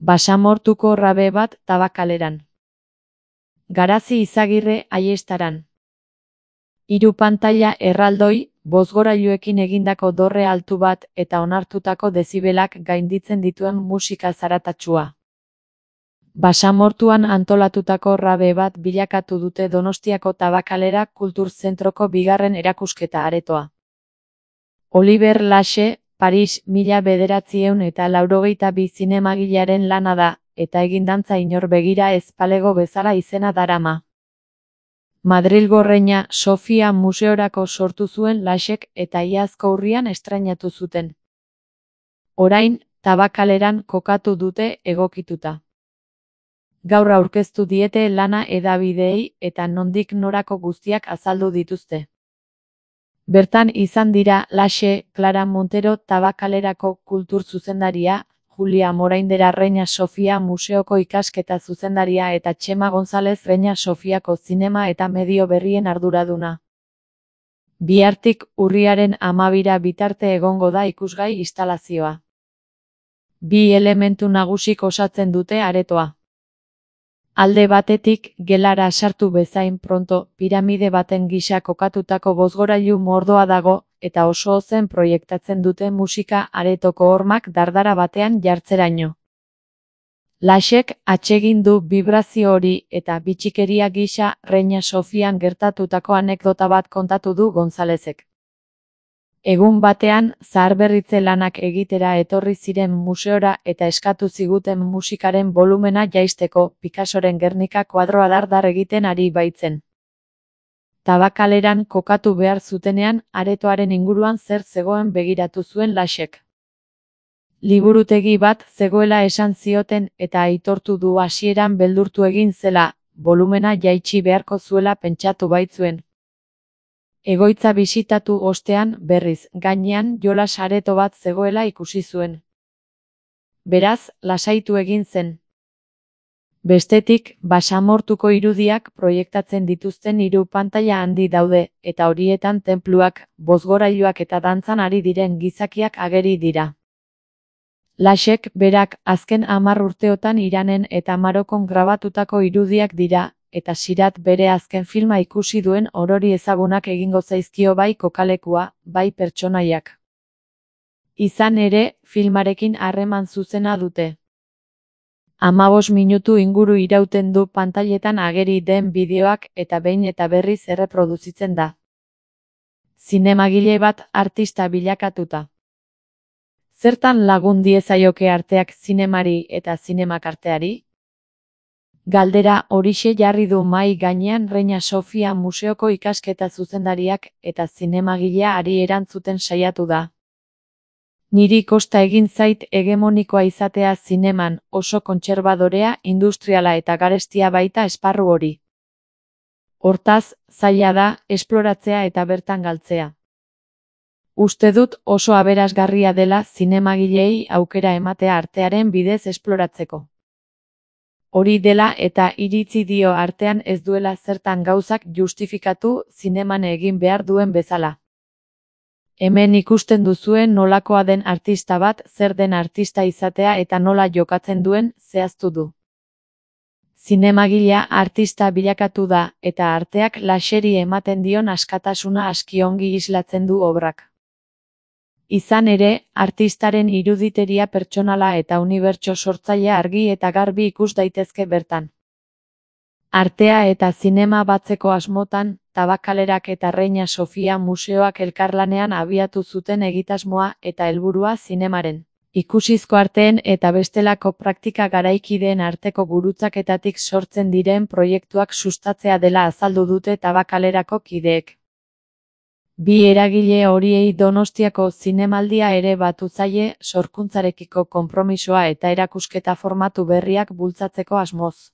Basamortuko rabe bat Tabakaleran. Garazi Izagirre Aiestaran. 3 pantaila erraldoi, bozgorailuekin egindako dorre altu bat eta onartutako dezibelak gainditzen dituen musika zaratatsua. Basamortuan antolatutako rabe bat bilakatu dute Donostiako Tabakalera Kultur Zentroko 2. erakusketa aretoa. Oliver Laxe, Paris 1982 zinemagilearen lana da, eta egindantza inor begira ez palego bezala izena darama. Madrilgo Reina Sofia museorako sortu zuen Laxek eta iazko urrian estrainatu zuten. Orain, Tabakaleran kokatu dute egokituta. Gaur aurkeztu diete lana hedabideei eta nondik norako guztiak azaldu dituzte. Bertan izan dira Laxe, Clara Montero Tabakalerako kultur zuzendaria, Julia Moraindera Reina Sofia museoko ikasketa zuzendaria eta Txema González Reina Sofiako zinema eta medio berrien arduraduna. Bihartik urriaren 12 bitarte egongo da ikusgai instalazioa. 2 elementu nagusik osatzen dute aretoa. Alde batetik, gelara sartu bezain pronto, piramide baten gisa kokatutako bozgorailu mordoa dago, eta oso ozen proiektatzen dute musika aretoko hormak dardara batean jartzeraino. Laxek atsegin du vibrazio hori eta bitxikeria gisa Reina Sofian gertatutako anekdota bat kontatu du Gonzalezek. Egun batean, zaharberritze lanak egitera etorri ziren museora eta eskatu ziguten musikaren volumena jaisteko Picassoren Gernika kuadroa dar egiten ari baitzen. Tabakaleran kokatu behar zutenean, aretoaren inguruan zer zegoen begiratu zuen Laxek. Liburutegi bat zegoela esan zioten eta aitortu du hasieran beldurtu egin zela, volumena jaitsi beharko zuela pentsatu baitzuen. Egoitza bisitatu ostean, berriz, gainean jolas areto bat zegoela ikusi zuen. Beraz, lasaitu egin zen. Bestetik, basamortuko irudiak proiektatzen dituzten 3 pantaila handi daude, eta horietan tenpluak, bozgorailuak eta dantzan ari diren gizakiak ageri dira. Laxek berak azken 10 urteotan Iranen eta Marokon grabatutako irudiak dira, eta Sirat bere azken filma ikusi duen orori ezagunak egingo zaizkio bai kokalekua, bai pertsonaiak. Izan ere, filmarekin harreman zuzena dute. 15 minutu inguru irauten du pantailetan ageri den bideoak eta behin eta berriz erreproduzitzen da. Zinemagile bat artista bilakatuta. Zertan lagun diezaioke arteak zinemari eta zinemak arteari? Galdera horixe jarri du mahai gainean Reina Sofia museoko ikasketa zuzendariak eta zinemagilea ari erantzuten saiatu da. Niri kosta egin zait hegemonikoa izatea zineman, oso kontserbadorea, industriala eta garestia baita esparru hori. Hortaz, zaila da, esploratzea eta bertan galtzea. Uste dut oso aberasgarria dela zinemagilei aukera ematea artearen bidez esploratzeko. Hori dela eta iritzi dio artean ez duela zertan gauzak justifikatu zineman egin behar duen bezala. Hemen ikusten duzuen nolakoa den artista bat, zer den artista izatea eta nola jokatzen duen zehaztu du. Zinemagilea artista bilakatu da eta arteak Laxeri ematen dion askatasuna aski ongi islatzen du obrak. Izan ere, artistaren iruditeria pertsonala eta unibertso sortzailea argi eta garbi ikus daitezke bertan. Artea eta zinema batzeko asmotan, Tabakalerak eta Reina Sofia museoak elkarlanean abiatu zuten egitasmoa eta helburua zinemaren, ikusizko arteen eta bestelako praktika garaikideen arteko gurutzaketatik sortzen diren proiektuak sustatzea dela azaldu dute Tabakalerako kideek. 2 eragile horiei Donostiako zinemaldia ere batu zaie sorkuntzarekiko konpromisoa eta erakusketa formatu berriak bultzatzeko asmoz.